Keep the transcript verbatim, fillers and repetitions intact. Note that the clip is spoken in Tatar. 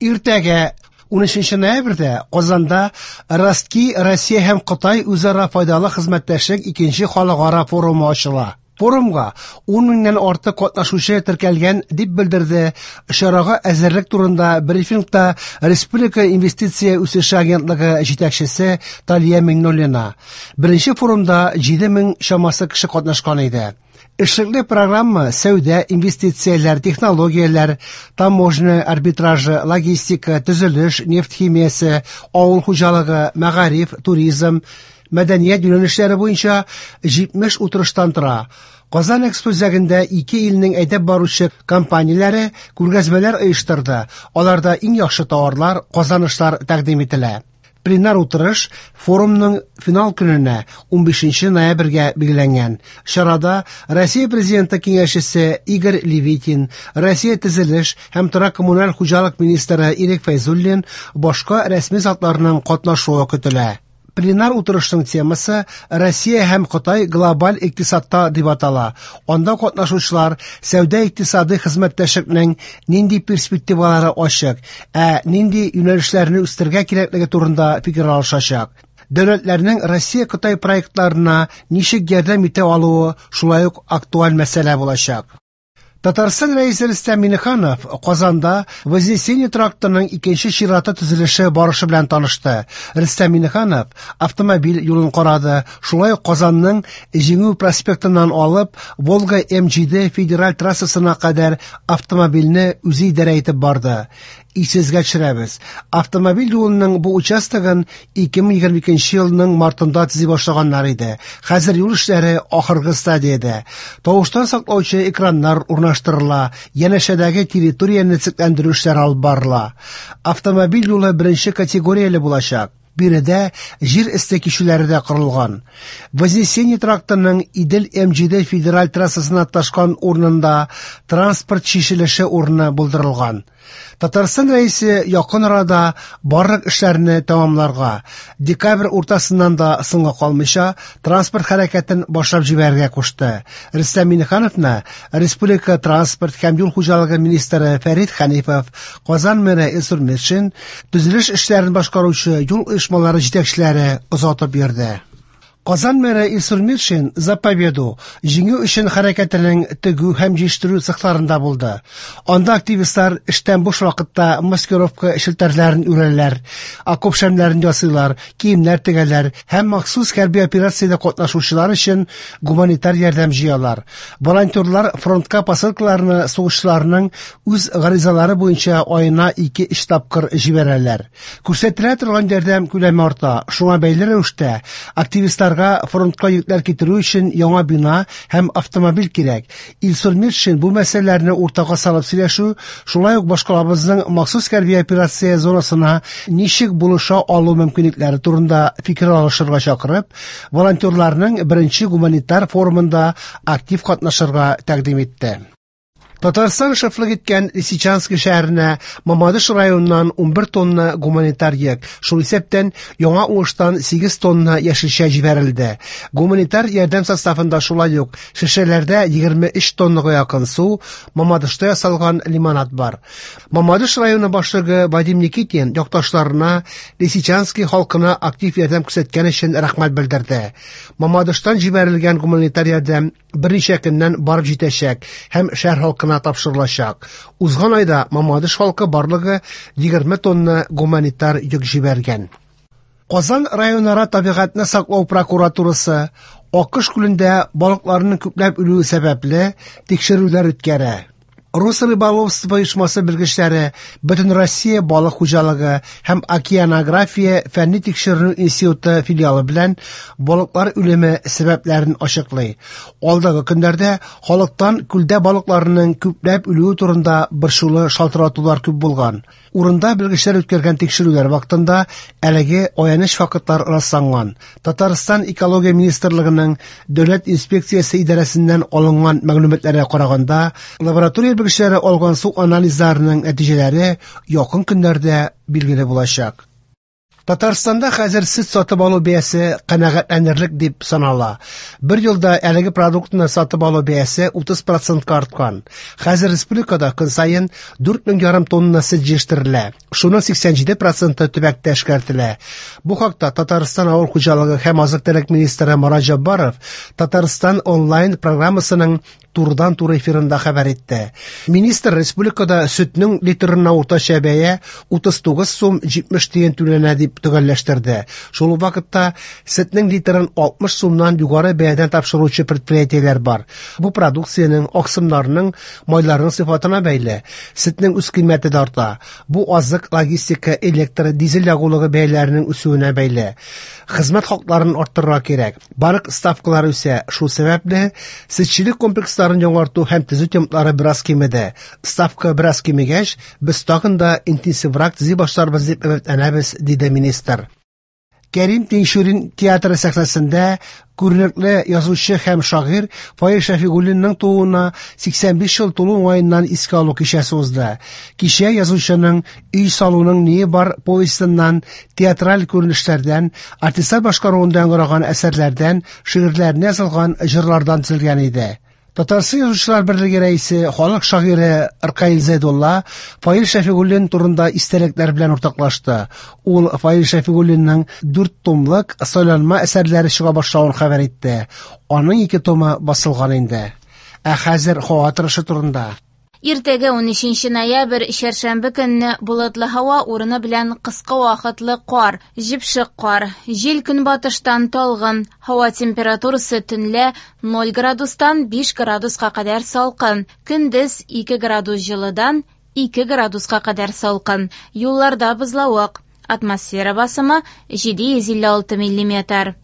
Иртәгә унөченче ноябрьдә Казанда Ростки Россия һәм Кытай үзара файдалы хезмәттәшлек икенче халыкара форумы ачыла. Форумга ун меңнән артык катнашучы теркәлгән, дип белдерде чарага әзерлек турында брифингта Республика инвестиция үсеше агентлыгы җитәкчесе Талия Миңнуллина. Беренче форумда җиде мең чамасы кеше катнашкан иде. Эшлекле программа сәүдә, инвестицияләр, технологияләр, таможня арбитражы, логистика, төзелеш, нефть химиясе, авыл хуҗалыгы, мәгариф, туризм, мәдәният юнәлешләре буенча җитмеш утырыштан тора. Казан Экспо үзәгендә ике илнең әйдәп баручы компанияләре күргәзмәләр оештырды. Аларда иң яхшы товарлар, казанышлар тәкъдим ителә. Пленар утырыш форумның финал көненә унбишенче ноябрьгә билгеләнгән. Чарада Россия Президенты киңәшчесе Игорь Левитин, Россия төзелеш һәм торак коммуналь хуҗалык министры Ирек Фәйзуллин, башка рәсми затларның катнашуы көтелә. Пленар утырышның темасы Россия һәм Кытай глобаль икътисадта дип атала. Анда катнашучылар сәүдә икътисады хезмәттәшлекнең нинди перспективалары ачык, ә нинди юнәлешләрне үстерергә кирәклеге турында фикер алышачак. Дәүләтләрнең Россия-Кытай проектларына ничек ярдәм итә алуы шулай ук актуаль мәсьәлә булачак. Татарстан Рәисе Рөстәм Миңнеханов Казанда Вознесение трактының икенче чираты төзелеше барышы белән танышты. Рөстәм Миңнеханов автомобиль юлын карады, шулай ук Казанның Җиңү проспектыннан алып Волга М җиде федераль трассасына кадәр автомобильне үзе идарә итеп барды. Исегезгә төшерәбез. Автомобиль юлының бу участогын ике мең егерме икенче елның мартында төзи башлаганнар иде. Хәзер юл эшләре ахыргы стадиядә. Тавыштан саклаучы экраннар урнаштырыла, янәшәдәге территорияне төзекләндерү эшләре алып барыла. Автомобиль юлы беренче категорияле булачак. Биредә җир өсте кичүләре дә корылган. Вознесение трактының Идел М җиде федераль трассасына ташкан урынында транспорт чишелеше урыны булдырылган. Татарстан Рәисе якын арада барлык эшләрне тәмамларга, декабрь уртасыннан да соңга калмыйча транспорт хәрәкәтен башлап җибәрергә кушты. Рөстәм Миңнехановны Республика транспорт һәм юл хуҗалыгы министры Фәрит Хәнифов, Казан мэры Илсур Метшин, төзелеш эшләрен башкаручы юл оешмалары җитәкчеләре озатып йөрде. Казан мэры Илсур Метшин За победу җиңү өчен хәрәкәтенең тегү һәм җыештыру цехларында булды. Анда активистлар эштән буш вакытта маскировка челтәрләрен үрәләр, окоп шәмнәрен ясыйлар, киемнәр тегәләр һәм махсус хәрби операциядә катнашучылар өчен гуманитар ярдәм җыялар. Волонтерлар фронтка посылкаларны сугышчыларның үз гаризалары буенча аена ике-өч тапкыр җибәрәләр. Күрсәтелә торган ярдәм күләме арта. Шуңа бәйле рәвештә активистлар фронтка йөкләр китерү өчен яңа бина һәм автомобиль кирәк. Илсур Метшин бу мәсьәләләрне уртага салып сөйләшү, шулай ук башкалабызның махсус хәрби операция зонасына ничек булыша алу мөмкинлекләре турында фикер алышырга чакырып, волонтерларның беренче гуманитар форумында актив катнашырга тәкъдим итте. Татарстан шефлык иткән Лисичанский шәһәренә Мамадыш районыннан унбер тонна гуманитар йөк, шул исәптән яңа уңыштан сигез тонна яшелчә җибәрелде. Гуманитар ярдәм составында шулай ук шешәләрдә егерме өч тоннага якын су, Мамадышта ясалган лимонад бар. Мамадыш районы башлыгы Вадим Никитин якташларына Лисичанский халкына актив ярдәм күрсәткән өчен рәхмәт белдерде. Мамадыштан җибәрелгән гуманитар ярдәм берничә көннән барып җитәчәк һәм шәһәр халкына тапшырылачак. Узган айда Мамадыш халкы барлыгы егерме тонна гуманитар йөк җибәргән. Казан районара табигатьне саклау прокуратурасы Акыш күлендә балыкларның күпләп үлүе сәбәпле тикшерүләр үткәрә. Росрыболовство оешмасы белгечләре Бөтен Россия балык хуҗалыгы һәм океанография фәнни тикшеренү институты филиалы белән балыклар үлеме сәбәпләрен ачыклый. Алдагы көннәрдә халыктан күлдә балыкларның күпләп үлүе турында борчулы шалтыратулар күп булган. Урында белгечләр үткәргән тикшерүләр вакытында әлеге аяныч фактлар расланган. Татарстан Экология министрлыгының Дәүләт инспекциясе идарәсеннән алынган мәгълүматларга караганда, лаборатория белгечләре алган су анализларының нәтиҗәләре якын көннәрдә билгеле булачак. Татарстанда хәзер сөт сатып алу бәясе канәгатьләнерлек дип санала. Бер елда әлеге продуктны сатып алу бәясе утыз процентка арткан. Хәзер республикада көн саен дүрт мең ярым тонна сөт җитештерелә. Шуның сиксән җиде проценты төбәктә эшкәртелә. Бу хакта Татарстан авыл хуҗалыгы һәм азык-төлек министры Марат Җәббаров Татарстан онлайн программасының турыдан-туры эфирында хәбәр итте. Министр республикада сөтнең литрына уртача бәя утыз тугыз сум җитмеш тиен түләнә дип төгәлләштерде. Шул ук вакытта сөтнең литрын алтмыш сумнан югары бәядән тапшыручы предприятиеләр бар. Бу продукциянең, аксымнарның, майларның сыйфатына бәйле. Сөтнең үз кыйммәте дә арта. Бу азык, логистика, электр, дизель ягулыгы бәяләренең үсүенә бәйле. Хезмәт хакларын арттырырга кирәк. Банк ставкалары үсә. Шул сәбәпле сөтчелек комплексларын яңарту һәм төзү темплары бераз кимеде. Ставка бераз кимегәч, без тагын да интенсиврак төзи башларбыз дип өметләнәбез, диде министр. Кәрим Тинчурин театры сәхнәсендә күренекле язучы һәм шагыйрь Фаил Шәфигуллинның тууына сиксән биш ел тулу уңаеннан искә алу кичәсе узды. Кичә язучының Өй салуның ние бар повестеннан, театраль күренешләрдән, артистлар башкаруында яңгыраган әсәрләрдән, шигырьләренә язылган җырлардан төзелгән иде. Татарстан Язучылар берлеге рәисе, халык шагыйре Ркаил Зәйдулла Фаил Шәфигуллин турында истәлекләр белән уртаклашты. Ул Фаил Шәфигуллинның дүрт томлык сайланма әсәрләре чыга башлавын хәбәр итте. Аның ике томы басылган инде. Ә хәзер һава торышы турында. Иртәгә унөченче ноябрь, чәршәмбе көнне болытлы һава урыны белән кыска вакытлы кар, җепшек кар, җил көнбатыштан талгын, һава температурасы төнлә ноль градустан биш градуска кадәр салкын, көндез ике градус җылыдан ике градуска кадәр салкын, юлларда бозлавык, атмосфера басымы җиде йөз илле алты миллиметр.